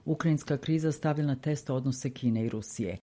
Ukrajinska kriza stavlja na test odnose Kine i Rusije.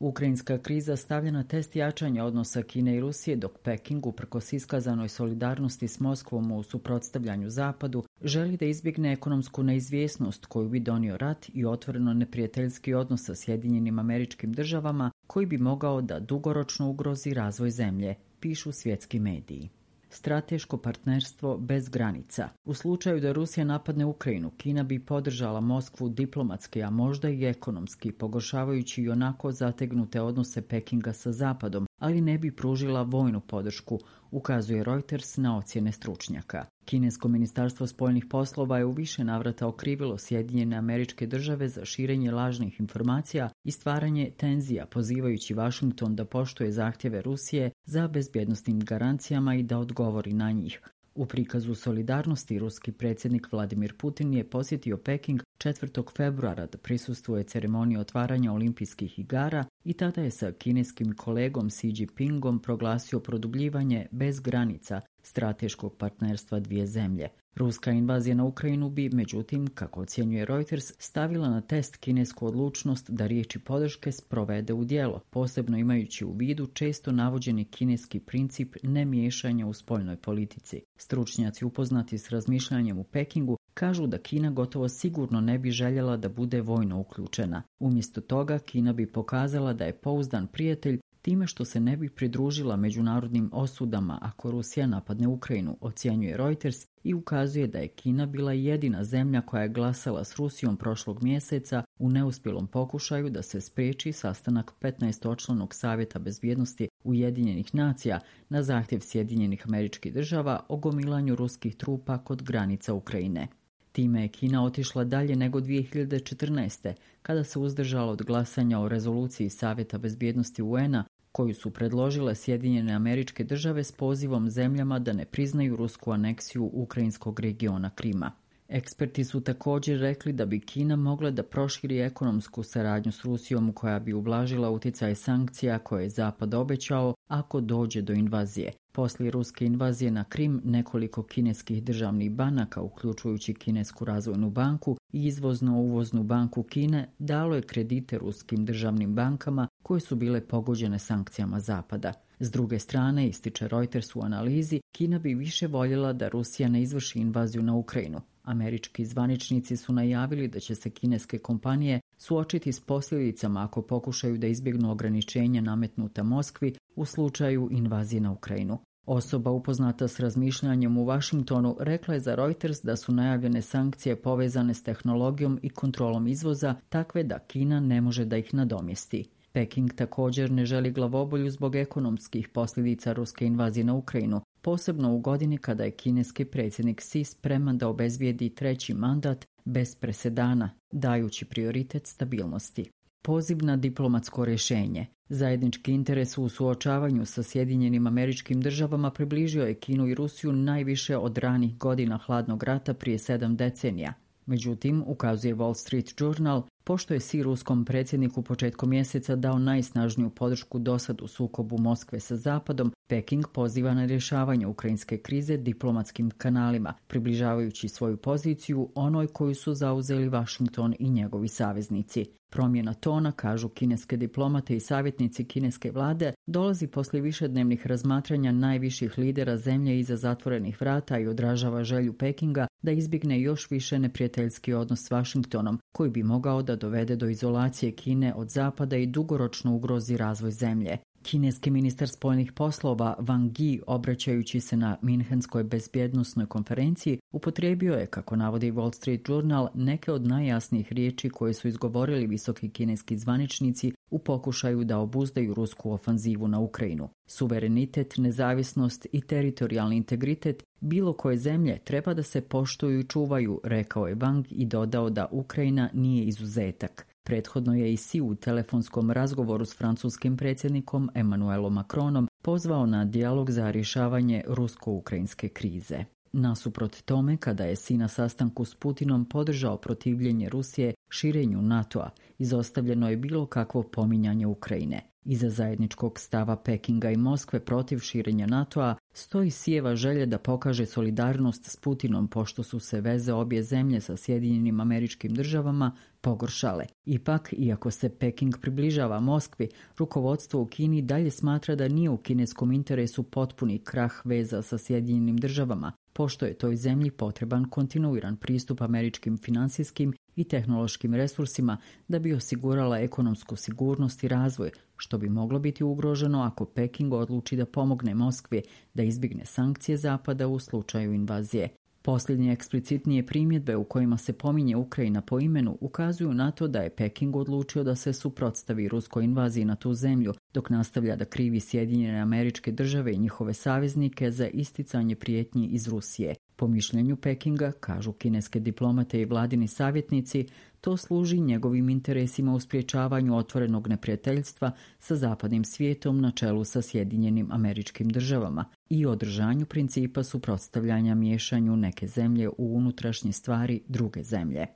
Ukrajinska kriza stavlja na test jačanja odnosa Kine i Rusije, dok Peking, uprkos iskazanoj solidarnosti s Moskvom u suprotstavljanju Zapadu, želi da izbjegne ekonomsku neizvjesnost koju bi donio rat i otvoreno neprijateljski odnos sa Sjedinjenim Američkim Državama, koji bi mogao da dugoročno ugrozi razvoj zemlje, pišu svjetski mediji. Strateško partnerstvo bez granica. U slučaju da Rusija napadne Ukrajinu, Kina bi podržala Moskvu diplomatski, a možda i ekonomski, pogoršavajući i onako zategnute odnose Pekinga sa Zapadom, ali ne bi pružila vojnu podršku, ukazuje Reuters na ocjene stručnjaka. Kinesko ministarstvo spoljnih poslova je u više navrata okrivilo Sjedinjene Američke Države za širenje lažnih informacija i stvaranje tenzija, pozivajući Washington da poštuje zahtjeve Rusije za bezbjednosnim garancijama i da odgovori na njih. U prikazu solidarnosti ruski predsjednik Vladimir Putin je posjetio Peking 4. februara da prisustvuje ceremoniji otvaranja olimpijskih igara i tada je sa kineskim kolegom Xi Jinpingom proglasio produbljivanje bez granica strateškog partnerstva dvije zemlje. Ruska invazija na Ukrajinu bi, međutim, kako ocjenjuje Reuters, stavila na test kinesku odlučnost da riječi podrške sprovede u djelo, posebno imajući u vidu često navođeni kineski princip nemiješanja u spoljnoj politici. Stručnjaci upoznati s razmišljanjem u Pekingu kažu da Kina gotovo sigurno ne bi željela da bude vojno uključena. Umjesto toga, Kina bi pokazala da je pouzdan prijatelj time što se ne bi pridružila međunarodnim osudama ako Rusija napadne Ukrajinu, ocjenjuje Reuters i ukazuje da je Kina bila jedina zemlja koja je glasala s Rusijom prošlog mjeseca u neuspjelom pokušaju da se spriječi sastanak 15-članog Savjeta bezbjednosti Ujedinjenih nacija na zahtjev Sjedinjenih Američkih Država o gomilanju ruskih trupa kod granica Ukrajine. Time je Kina otišla dalje nego 2014. kada se uzdržala od glasanja o rezoluciji Savjeta bezbjednosti UN-a koju su predložile Sjedinjene Američke Države s pozivom zemljama da ne priznaju rusku aneksiju ukrajinskog regiona Krima. Eksperti su također rekli da bi Kina mogla da proširi ekonomsku saradnju s Rusijom koja bi ublažila utjecaj sankcija koje je Zapad obećao ako dođe do invazije. Poslije ruske invazije na Krim, nekoliko kineskih državnih banaka, uključujući Kinesku razvojnu banku i izvozno-uvoznu banku Kine, dalo je kredite ruskim državnim bankama koje su bile pogođene sankcijama Zapada. S druge strane, ističe Reuters u analizi, Kina bi više voljela da Rusija ne izvrši invaziju na Ukrajinu. Američki zvaničnici su najavili da će se kineske kompanije suočiti s posljedicama ako pokušaju da izbjegnu ograničenja nametnuta Moskvi u slučaju invazije na Ukrajinu. Osoba upoznata s razmišljanjem u Washingtonu rekla je za Reuters da su najavljene sankcije povezane s tehnologijom i kontrolom izvoza takve da Kina ne može da ih nadomjesti. Peking također ne želi glavobolju zbog ekonomskih posljedica ruske invazije na Ukrajinu, posebno u godini kada je kineski predsjednik Xi spreman da obezbijedi treći mandat bez presedana, dajući prioritet stabilnosti. Poziv na diplomatsko rješenje. Zajednički interes u suočavanju sa Sjedinjenim Američkim Državama približio je Kinu i Rusiju najviše od ranih godina hladnog rata prije 7 decenija. Međutim, ukazuje Wall Street Journal, pošto je Xi ruskom predsjedniku početkom mjeseca dao najsnažniju podršku dosad u sukobu Moskve sa Zapadom, Peking poziva na rješavanje ukrajinske krize diplomatskim kanalima, približavajući svoju poziciju onoj koju su zauzeli Washington i njegovi saveznici. Promjena tona, kažu kineske diplomate i savjetnici kineske vlade, dolazi poslije višednevnih razmatranja najviših lidera zemlje iza zatvorenih vrata i odražava želju Pekinga da izbjegne još više neprijateljski odnos s Washingtonom, koji bi mogao da dovede do izolacije Kine od Zapada i dugoročno ugrozi razvoj zemlje. Kineski ministar spoljnih poslova Wang Yi, obraćajući se na Minhenskoj bezbjednosnoj konferenciji, upotrijebio je, kako navodi Wall Street Journal, neke od najjasnijih riječi koje su izgovorili visoki kineski zvaničnici u pokušaju da obuzdaju rusku ofanzivu na Ukrajinu. Suverenitet, nezavisnost i teritorijalni integritet bilo koje zemlje treba da se poštuju i čuvaju, rekao je Wang i dodao da Ukrajina nije izuzetak. Prethodno je i Xi u telefonskom razgovoru s francuskim predsjednikom Emmanuelom Macronom pozvao na dijalog za rješavanje rusko-ukrajinske krize. Nasuprot tome, kada je Xi na sastanku s Putinom podržao protivljenje Rusije širenju NATO-a, izostavljeno je bilo kakvo pominjanje Ukrajine. Iza zajedničkog stava Pekinga i Moskve protiv širenja NATO-a stoji Sijeva želja da pokaže solidarnost s Putinom pošto su se veze obje zemlje sa Sjedinjenim Američkim Državama pogoršale. Ipak, iako se Peking približava Moskvi, rukovodstvo u Kini dalje smatra da nije u kineskom interesu potpuni krah veza sa Sjedinjenim Državama, pošto je toj zemlji potreban kontinuiran pristup američkim finansijskim i tehnološkim resursima da bi osigurala ekonomsku sigurnost i razvoj, što bi moglo biti ugroženo ako Peking odluči da pomogne Moskvi da izbjegne sankcije Zapada u slučaju invazije. Posljednje eksplicitnije primjedbe u kojima se pominje Ukrajina po imenu ukazuju na to da je Peking odlučio da se suprotstavi ruskoj invaziji na tu zemlju, dok nastavlja da krivi Sjedinjene Američke Države i njihove saveznike za isticanje prijetnji iz Rusije. Po mišljenju Pekinga, kažu kineske diplomate i vladini savjetnici, to služi njegovim interesima u sprječavanju otvorenog neprijateljstva sa zapadnim svijetom na čelu sa Sjedinjenim Američkim Državama i održanju principa suprotstavljanja miješanju neke zemlje u unutrašnje stvari druge zemlje.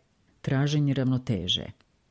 Traženje ravnoteže.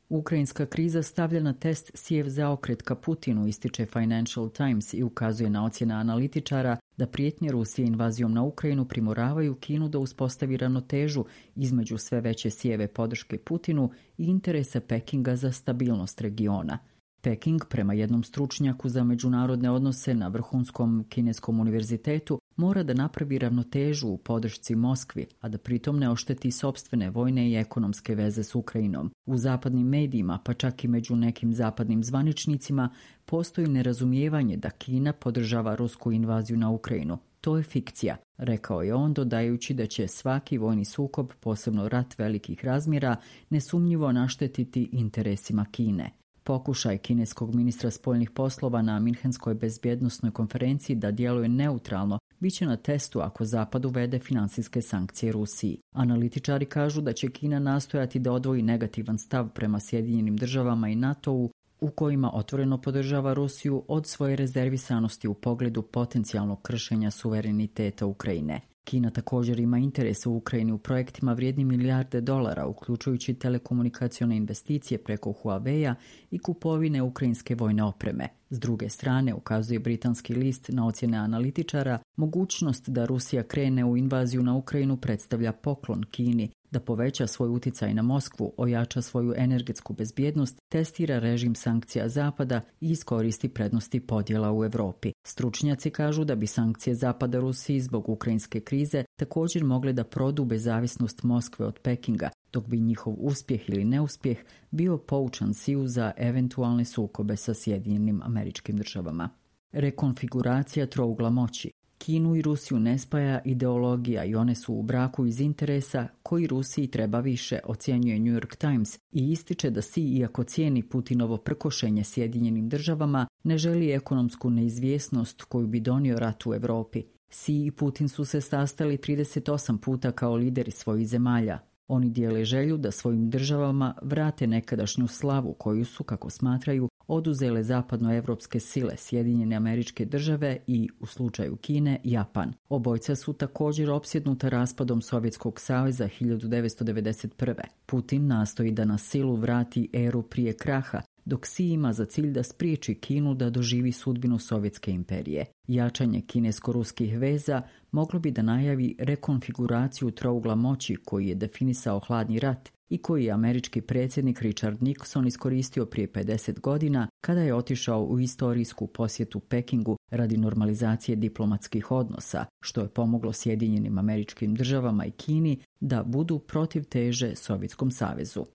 Ukrajinska kriza stavlja na test sijev zaokret ka Putinu, ističe Financial Times i ukazuje na ocjene analitičara da prijetnje Rusije invazijom na Ukrajinu primoravaju Kinu da uspostavi ravnotežu između sve veće sijeve podrške Putinu i interesa Pekinga za stabilnost regiona. Peking, prema jednom stručnjaku za međunarodne odnose na vrhunskom kineskom univerzitetu, mora da napravi ravnotežu u podršci Moskvi, a da pritom ne ošteti sopstvene vojne i ekonomske veze s Ukrajinom. U zapadnim medijima, pa čak i među nekim zapadnim zvaničnicima, postoji nerazumijevanje da Kina podržava rusku invaziju na Ukrajinu. To je fikcija, rekao je on, dodajući da će svaki vojni sukob, posebno rat velikih razmjera, nesumnjivo naštetiti interesima Kine. Pokušaj kineskog ministra spoljnih poslova na Minhenskoj bezbjednosnoj konferenciji da djeluje neutralno biće na testu ako Zapad uvede financijske sankcije Rusiji. Analitičari kažu da će Kina nastojati da odvoji negativan stav prema Sjedinjenim Državama i NATO-u u kojima otvoreno podržava Rusiju od svoje rezervisanosti u pogledu potencijalnog kršenja suvereniteta Ukrajine. Kina također ima interese u Ukrajini u projektima vrijedni milijarde dolara, uključujući telekomunikacione investicije preko Huawei-a i kupovine ukrajinske vojne opreme. S druge strane, ukazuje britanski list na ocjene analitičara, mogućnost da Rusija krene u invaziju na Ukrajinu predstavlja poklon Kini, da poveća svoj utjecaj na Moskvu, ojača svoju energetsku bezbjednost, testira režim sankcija Zapada i iskoristi prednosti podjela u Europi. Stručnjaci kažu da bi sankcije Zapada Rusiji zbog ukrajinske krize također mogle da prodube zavisnost Moskve od Pekinga, dok bi njihov uspjeh ili neuspjeh bio poučan siju za eventualne sukobe sa Sjedinjenim Američkim Državama. Rekonfiguracija trougla moći. Kinu i Rusiju ne spaja ideologija i one su u braku iz interesa koji Rusiji treba više, ocjenjuje New York Times i ističe da Si, iako cijeni Putinovo prkošenje Sjedinjenim Državama, ne želi ekonomsku neizvjesnost koju bi donio rat u Europi. Si i Putin su se sastali 38 puta kao lideri svojih zemalja. Oni dijele želju da svojim državama vrate nekadašnju slavu koju su, kako smatraju, oduzele zapadnoevropske sile Sjedinjene Američke Države i, u slučaju Kine, Japan. Obojca su također opsjednuta raspadom Sovjetskog saveza 1991. Putin nastoji da na silu vrati eru prije kraha, dok Si ima za cilj da spriječi Kinu da doživi sudbinu Sovjetske imperije. Jačanje kinesko-ruskih veza moglo bi da najavi rekonfiguraciju trougla moći koji je definisao hladni rat i koji je američki predsjednik Richard Nixon iskoristio prije 50 godina kada je otišao u istorijsku posjetu Pekingu radi normalizacije diplomatskih odnosa, što je pomoglo Sjedinjenim Američkim Državama i Kini da budu protiv teže Sovjetskom savezu.